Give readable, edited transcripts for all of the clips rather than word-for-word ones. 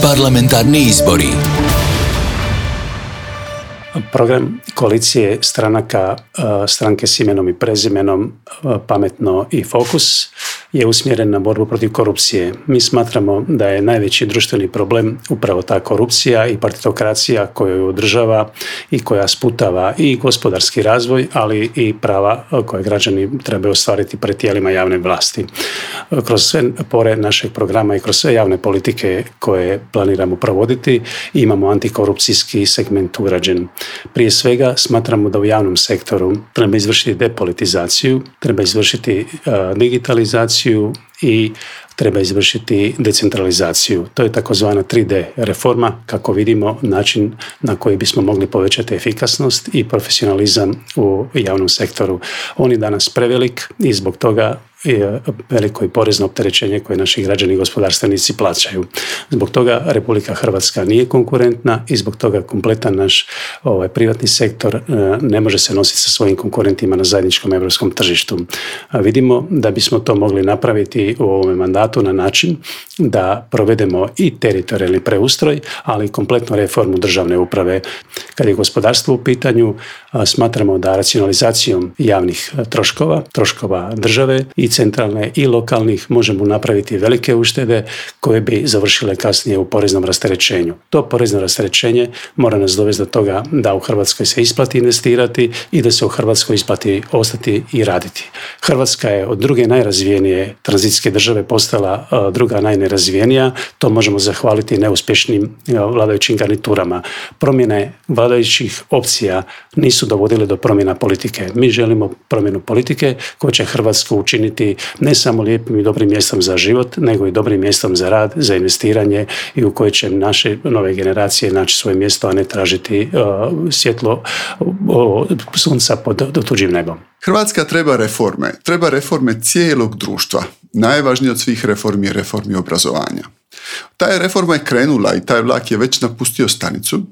Parlamentarni izbori. Program koalicije stranaka Stranke s imenom i prezimenom Pametno i Fokus je usmjeren na borbu protiv korupcije. Mi smatramo da je najveći društveni problem upravo ta korupcija i partitokracija koja ju održava i koja sputava i gospodarski razvoj, ali i prava koje građani trebaju ostvariti pred tijelima javne vlasti. Kroz sve pore našeg programa i kroz sve javne politike koje planiramo provoditi imamo antikorupcijski segment ugrađen. Prije svega smatramo da u javnom sektoru treba izvršiti depolitizaciju, treba izvršiti digitalizaciju i treba izvršiti decentralizaciju. To je takozvana 3D reforma, kako vidimo način na koji bismo mogli povećati efikasnost i profesionalizam u javnom sektoru. On je danas prevelik i zbog toga je veliko i porezno opterećenje koje naši građani i gospodarstvenici plaćaju. Zbog toga Republika Hrvatska nije konkurentna i zbog toga kompletan naš privatni sektor ne može se nositi sa svojim konkurentima na zajedničkom europskom tržištu. Vidimo da bismo to mogli napraviti u ovome mandatu na način da provedemo i teritorijalni preustroj, ali i kompletnu reformu državne uprave. Kad je gospodarstvo u pitanju, smatramo da racionalizacijom javnih troškova države i centralne i lokalnih možemo napraviti velike uštede koje bi završile kasnije u poreznom rasterećenju. To porezno rasterećenje mora nas dovesti do toga da u Hrvatskoj se isplati investirati i da se u Hrvatskoj isplati ostati i raditi. Hrvatska je od druge najrazvijenije tranzicijske države postala druga najnerazvijenija. To možemo zahvaliti neuspješnim vladajućim garniturama. Promjene vladajućih opcija nisu dovodile do promjena politike. Mi želimo promjenu politike koja će Hrvatsku učiniti ne samo lijepim i dobrim mjestom za život, nego i dobrim mjestom za rad, za investiranje i u kojoj će naše nove generacije naći svoje mjesto, a ne tražiti svjetlo sunca pod tuđim nebom. Hrvatska treba reforme cijelog društva. Najvažnije od svih reformi je reformi obrazovanja. Ta reforma je krenula i taj vlak je već napustio stanicu,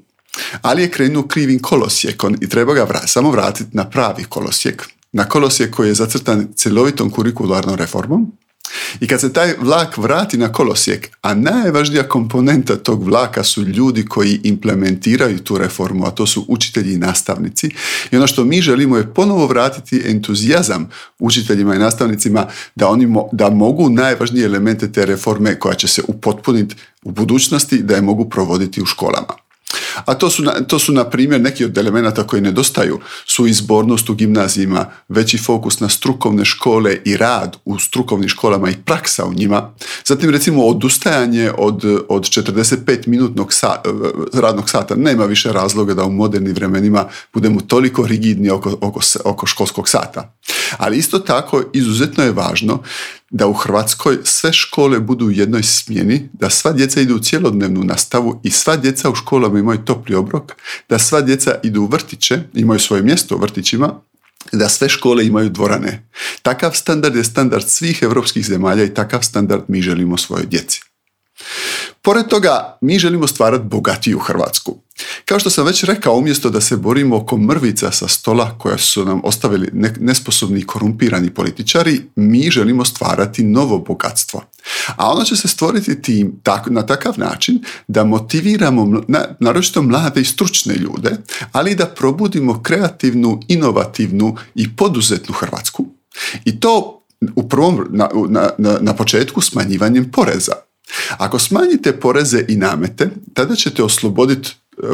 ali je krenuo krivim kolosijekom i treba ga samo vratiti na pravi kolosijek. Na kolosijek koji je zacrtan cjelovitom kurikularnom reformom. I kad se taj vlak vrati na kolosijek, a najvažnija komponenta tog vlaka su ljudi koji implementiraju tu reformu, a to su učitelji i nastavnici. I ono što mi želimo je ponovo vratiti entuzijazam učiteljima i nastavnicima da mogu najvažnije elemente te reforme koja će se upotpuniti u budućnosti, da je mogu provoditi u školama. A to su na primjer neki od elemenata koji nedostaju su izbornost u gimnazijima, veći fokus na strukovne škole i rad u strukovnim školama i praksa u njima. Zatim recimo odustajanje od 45-minutnog radnog sata. Nema više razloga da u modernim vremenima budemo toliko rigidni oko školskog sata. Ali isto tako izuzetno je važno da u Hrvatskoj sve škole budu u jednoj smjeni, da sva djeca idu u cjelodnevnu nastavu i sva djeca u školama imaju topli obrok, da sva djeca idu u vrtiće, imaju svoje mjesto u vrtićima, da sve škole imaju dvorane. Takav standard je standard svih europskih zemalja i takav standard mi želimo svojoj djeci. Pored toga, mi želimo stvarati bogatiju Hrvatsku. Kao što sam već rekao, umjesto da se borimo oko mrvica sa stola koja su nam ostavili nesposobni i korumpirani političari, mi želimo stvarati novo bogatstvo. A ono će se stvoriti na takav način da motiviramo naročito mlade i stručne ljude, ali i da probudimo kreativnu, inovativnu i poduzetnu Hrvatsku. I to na početku smanjivanjem poreza. Ako smanjite poreze i namete, tada ćete osloboditi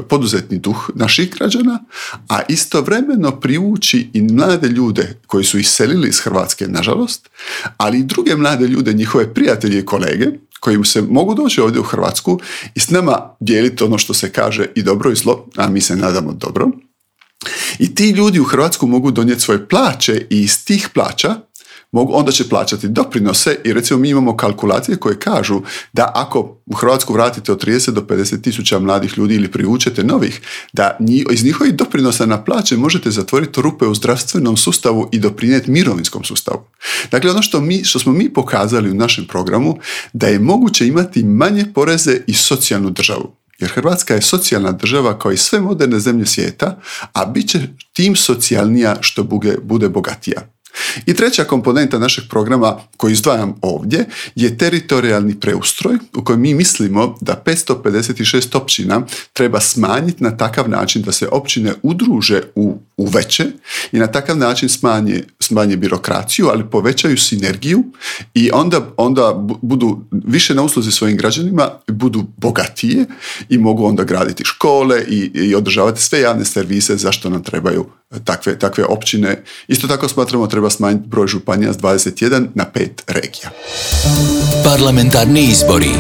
poduzetni duh naših građana, a istovremeno privući i mlade ljude koji su iselili iz Hrvatske, nažalost, ali i druge mlade ljude, njihove prijatelje i kolege, koji se mogu doći ovdje u Hrvatsku i s nama dijeliti ono što se kaže i dobro i zlo, a mi se nadamo dobro. I ti ljudi u Hrvatsku mogu donijeti svoje plaće i iz tih plaća onda će plaćati doprinose i recimo mi imamo kalkulacije koje kažu da ako u Hrvatsku vratite od 30 do 50 tisuća mladih ljudi ili privučete novih, da iz njihovih doprinosa na plaće možete zatvoriti rupe u zdravstvenom sustavu i doprinijeti mirovinskom sustavu. Dakle, ono što smo mi pokazali u našem programu, da je moguće imati manje poreze i socijalnu državu. Jer Hrvatska je socijalna država kao i sve moderne zemlje svijeta, a bit će tim socijalnija što bude bogatija. I treća komponenta našeg programa koji izdvajam ovdje je teritorijalni preustroj u kojem mi mislimo da 556 općina treba smanjiti na takav način da se općine udruže u veće i na takav način smanje birokraciju, ali povećaju sinergiju i onda budu više na usluzi svojim građanima, budu bogatije i mogu onda graditi škole i održavati sve javne servise zašto nam trebaju takve općine. Isto tako smatramo treba smanjiti broj županija s 21 na 5 regija. Parlamentarni izbori.